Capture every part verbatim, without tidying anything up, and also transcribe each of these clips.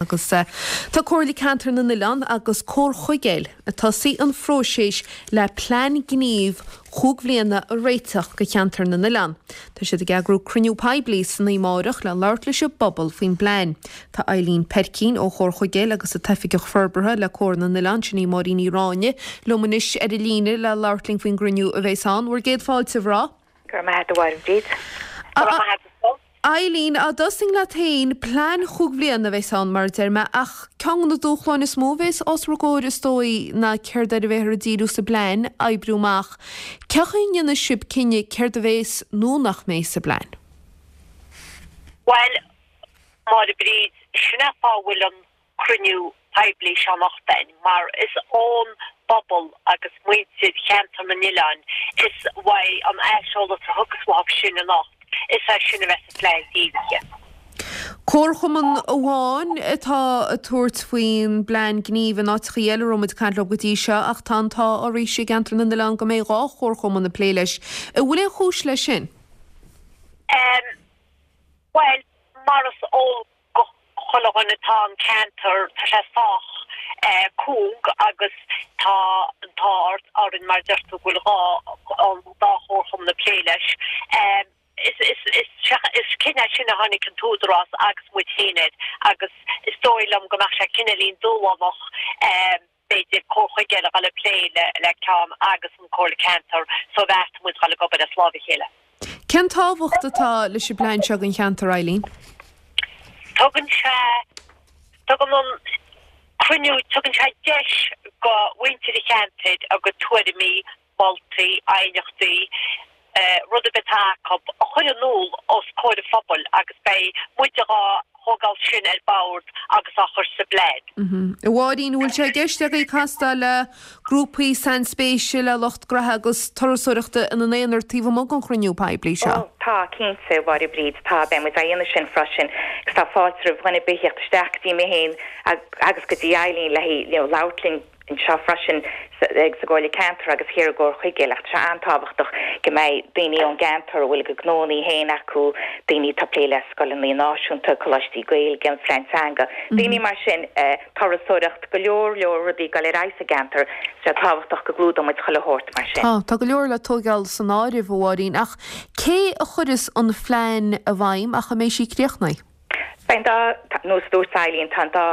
Agus tá Comhairle Ceantar na nOileán agus Comhar Chuigéil ag tosaí an phróiseas le plean gnímh chúig bhliana a réiteach do cheantar na nOileán. Tá siad ag eagrú cruinniú poiblí san oíche amárach le labhairt leis an bpobal faoin bplean. Tá Eileen Peircín ó Chomhar Chuigéil agus an tOifigeach Forbartha le Comhar na nOileán, sin í Máirín Ní Ráinne, liom anois ar an líne le labhairt linn faoin gcruinniú a bheas ann. Bhur gcéad fáilte, a mhná. Go raibh maith agat a Mháire Bríd. Go raibh maith agat. Eileen, á dtosóinn leat féin, plean chúig bhliana a bheas ann mar a deir mé, ach ceann de na dúshláin is mó a bheas os bhur gcomhair is dóigh ná céard air a bheifear ag díriú sa bplean a oibriú amach. Cén chaoi a ndéanfaidh sibh cinneadh céard a bheas nó nach mbeidh sa bplean? Bhuel, Máire Bríd, sin é an fáth a bhfuil an cruinniú poiblí seo anocht againn, mar is ón bpobal agus muintir cheantar na nOileán is uaidh an aiseolas a thiocfas uathu sin anocht, is é sin a bheas sa phlean dírithe. Comharchumann amháin atá ag tabhairt faoin bplean gnímh in áiteachaí eile a raibh muid ag caint leo go dtí seo ach tá an t-ádh arís i gceantar na nOileán go mbeidh dhá chomharchumann ag plé leis. An bhfuil aon chúis leis sin? Bhuel, mar is eol go chuile dhuine tá an ceantar, tá sé sách cúng agus tá an t-ádh orainn mar a deir tú go bhfuil dhá, an dá chomharchumann ag plé leis. Is, is, is, is cinneadh é sin a tháinig an t-údarás agus muid féin air agus is dóigh liom go mbeadh sé cineáilín dúshlánach b'fhéidir Comhar Chuigéil a dhul ag plé le, le ceann agus an Comhairle Ceantair so bheartaigh muid dhul ag obair as lámh a chéile. Cén tábhacht atá leis an bplean seo don cheantar, Eileen? Tugann sé, tugann an cruinniú, tugann sé deis go mhuintir an cheantair a gcuid tuairimí, moltaí, aighneachtaí, rud ar bith atá acu, a chur in iúl os comhair an phobail agus beidh muide dhá thógáil sin ar bord agus á chur sa bplean. A Mháirín, an bhfuil sé i gceist agaibh castáil le grúpaí sainspéise, le lucht graithe agus turasóireachta ina n-aonar taobh amuigh den chruinniú poiblí seo? Ó, tá, cinnte, a Mháire Bríd, tá, beidh muid á dhéanamh sin freisin agus tá fáilte roimh dhuine ar bith a theacht isteach go dtí mé féin agus go dtí Eileen le you know labhairt linn anseo freisin sa gComhairle Ceantair agus thiar i gComhar Chuigéil ach tá sé an-tábhachtach go mbeidh daoine ón gceantar a bhfuil a gcuid gnónnaí féin acu, daoine atá ag plé le scoileanna náisiúnta, coláistí Gaeilge, an phlean teanga, daoine mar sin, turasóireacht, go leor leor rudaí ag dul ar aghaidh sa gceantar, tá sé tábhachtach go gclúdóidh muid chuile shórt mar sin. Tá, tá go leor le tóigeáil san áireamh, a Mháirín, ach cé a chuireas an phlean i bhfeidhm ach a mbeidh sí críochnaithe? Beidh an dá, nós a dúirt Eileen, tá an dá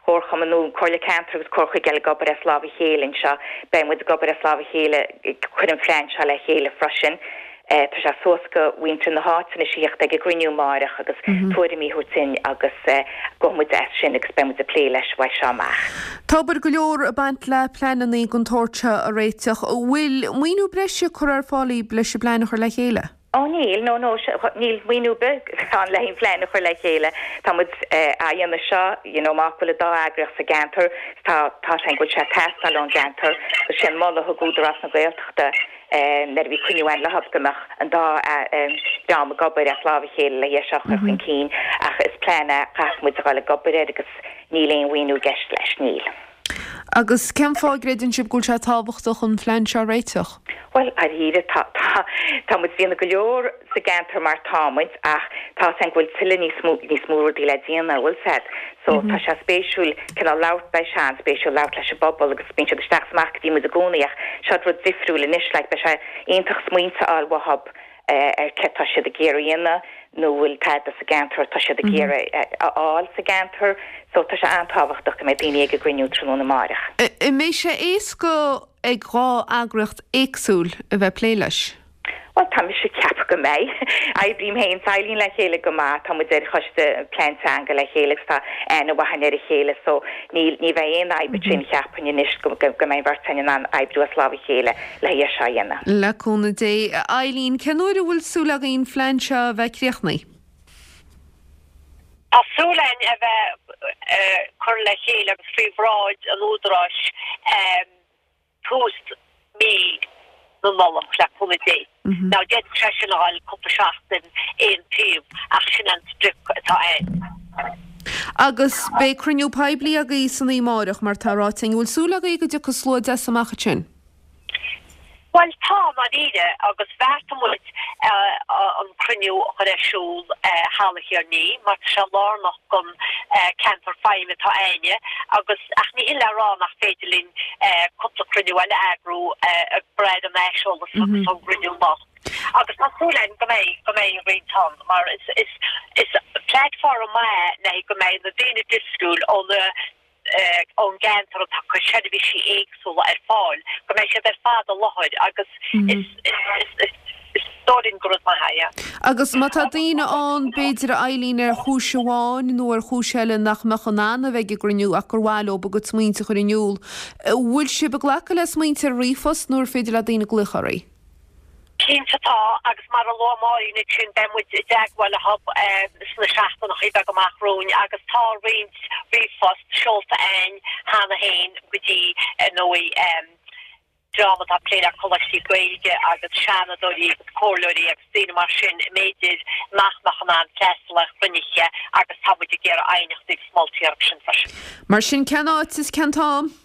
chomharchumann nó Comhairle Ceantair agus Comhar Chuigéil ag obair as lámh a chéile anseo. Beidh muid ag obair as lámh a chéile ag cur an phlean seo le chéile freisin. Tá sé suas go mhuintir na háite anois a theacht ag an gcruinniú amáireach agus tuairimí a thabhairt dúinn agus gabhfaidh muid as sin agus beidh muid ag plé leis uaidh seo amach. Tá obair go leor ag baint le pleananna den tsórt seo a réiteach. An bhfuil maoiniú breise curtha ar fáil leis an bplean a chur le chéile? Ó níl, no no, níl maoiniú ar bith ann le haon phlean a chur le chéile. Tá muid á dhéanamh seo, you know, mar go bhfuil an dá eagraíocht sa gceantar, tá, tá sé go bhfuil sé ag teastáil ón gceantar. Agus sé an moladh a thug Údarás na Gaeltachta nuair a bhí cruinniú againn leo go mbeadh an dá dream ag obair as lámh a chéile le é seo a chur chun cinn. Ach is plean é a chaithfidh muid a dhul ag obair air agus níl aon mhaoiniú i gceist leis, níl. Agus cén fáth a gcreideann sibh go bhfuil sé tábhachtach an phlean seo a réiteach? Bhuel, dáiríre, tá, tá, tá muid ag déanamh go leor sa gceantar mar tá muid ach tá 'fhios a'inn go bhfuil tuilleadh níos mó, níos mó rudaí le déanamh, bhfuil 'fhios a'd. So, tá sé spéisiúil cineál labhairt, beidh sé an-spéisiúil labhairt leis an bpobal agus bíonn siad isteach is amach go dtí muid i gcónaí ach seo rud difriúil anois, like, beidh sé iontach smaointe a fháil uathub ar céard tá siad ag iarraidh a dhéanamh nó bhfuil tada sa gceantar atá siad ag iarraidh a fháil sa gceantar. So tá sé an-tábhachtach go mbeidh daoine ag an gcruinniú tráthnóna amáireach. An mbeidh sé éasca ag dhá eagraíocht éagsúil a bheith ag plé leis? Bhuel, tá mise ag ceapadh go mbeidh. Oibrím féin 's Eileen le chéile go maith, tá muid ar choiste plean teanga le chéile agus tá aithne mhaith againn ar a chéile so níl, ní bheidh aon fhadhb ansin cheapfainn anois go, go mbeidh an bheirt againn in ann oibriú as lámh a chéile. le é seo a dhéanamh. Le cúnamh Dé. A Eileen, cén uair a bhfuil súil agaibh an phlean seo a bheith críochnaithe? Tá súil againn a bheith curtha le chéile agus faoi bhráid an Údaráis tús mí na Nollag, le cúnamh Dé. Now d'fhéadfadh sé sin a dhul cúpla seachtain aon taobh ach sin an sprioc atá againn. Agus beidh cruinniú poiblí agaibh san oíche amáireach mar tá ráite againn. An bhfuil súil agaibh go dtiocfaidh slua deas amach ansin? Bhuel tá ndáiríre agus bheartaigh muid an cruinniú a chur ar siúl Halla Thír an Fhia mar tá sé lárnach don ceantar feidhme atá a'inne agus ach ní hin le rá nach féidir linn cúpla cruinniú eile a eagrú ag brath ar an aiseolas agus ón gcruinniú anocht. Agus tá súil againn go mbeidh go mbeidh roinnt ann mar is is is platform maith le go mbeidh na daoine difriúil ó na ón gceantar atá ag cur seirbhísí éagsúla ar fáil, go mbeidh siad ar fad i láthair agus is dóigh linn gur rud maith é, yeah. Agus má tá daoine ann, b'fhéidir, a Eileen, ar chúis amháin nó ar chúis eile nach mbeadh in ann a bheith ag an gcruinniú ach gur mhaith leo a gcuid smaointe a chur in iúl, bhfuil sibh ag glacadh le smaointe ar ríomhphost nó ar féidir le daoine glaoch oraibh? Cinnte tá, agus mar a luaigh Máirín ansin, beidh muid i dteagmháil leo sna seachtaineacha beaga amach romhainn agus tá roinnt ríomhphost seolta a'ainn cheana féin go dtí, ar ndóigh, dream atá ag plé le coláistí Gaeilge agus seanadóirí agus comhairleoirí agus daoine mar sin, b'fhéidir nach mbeadh in ann freastal ar chruinnithe agus tá muid ag iarraidh aighneachtaí agus moltaí orthu sin freisin. Mar sin, cén áit is cén t-am?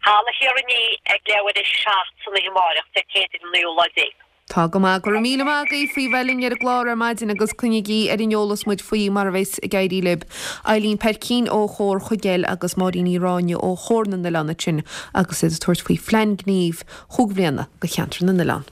Halla Thír an Fhia ag leathuair tar éis a seacht san oíche amárach, Dé Céadaoin an naoú lá déag. Tá go maith. Go raibh míle maith agaibh faoi bheith linn ar an gclár ar maidin agus coinnígí ar an eolas muid faoi mar a bheas ag éirí libh. Eileen Peircín ó Chomhar Chuigéil agus Máirín Ní Ráinne ó Chomhar na nOileán ansin agus iad ag tabhairt faoi phlean gnímh chúig bhliana do cheantar na nOileán.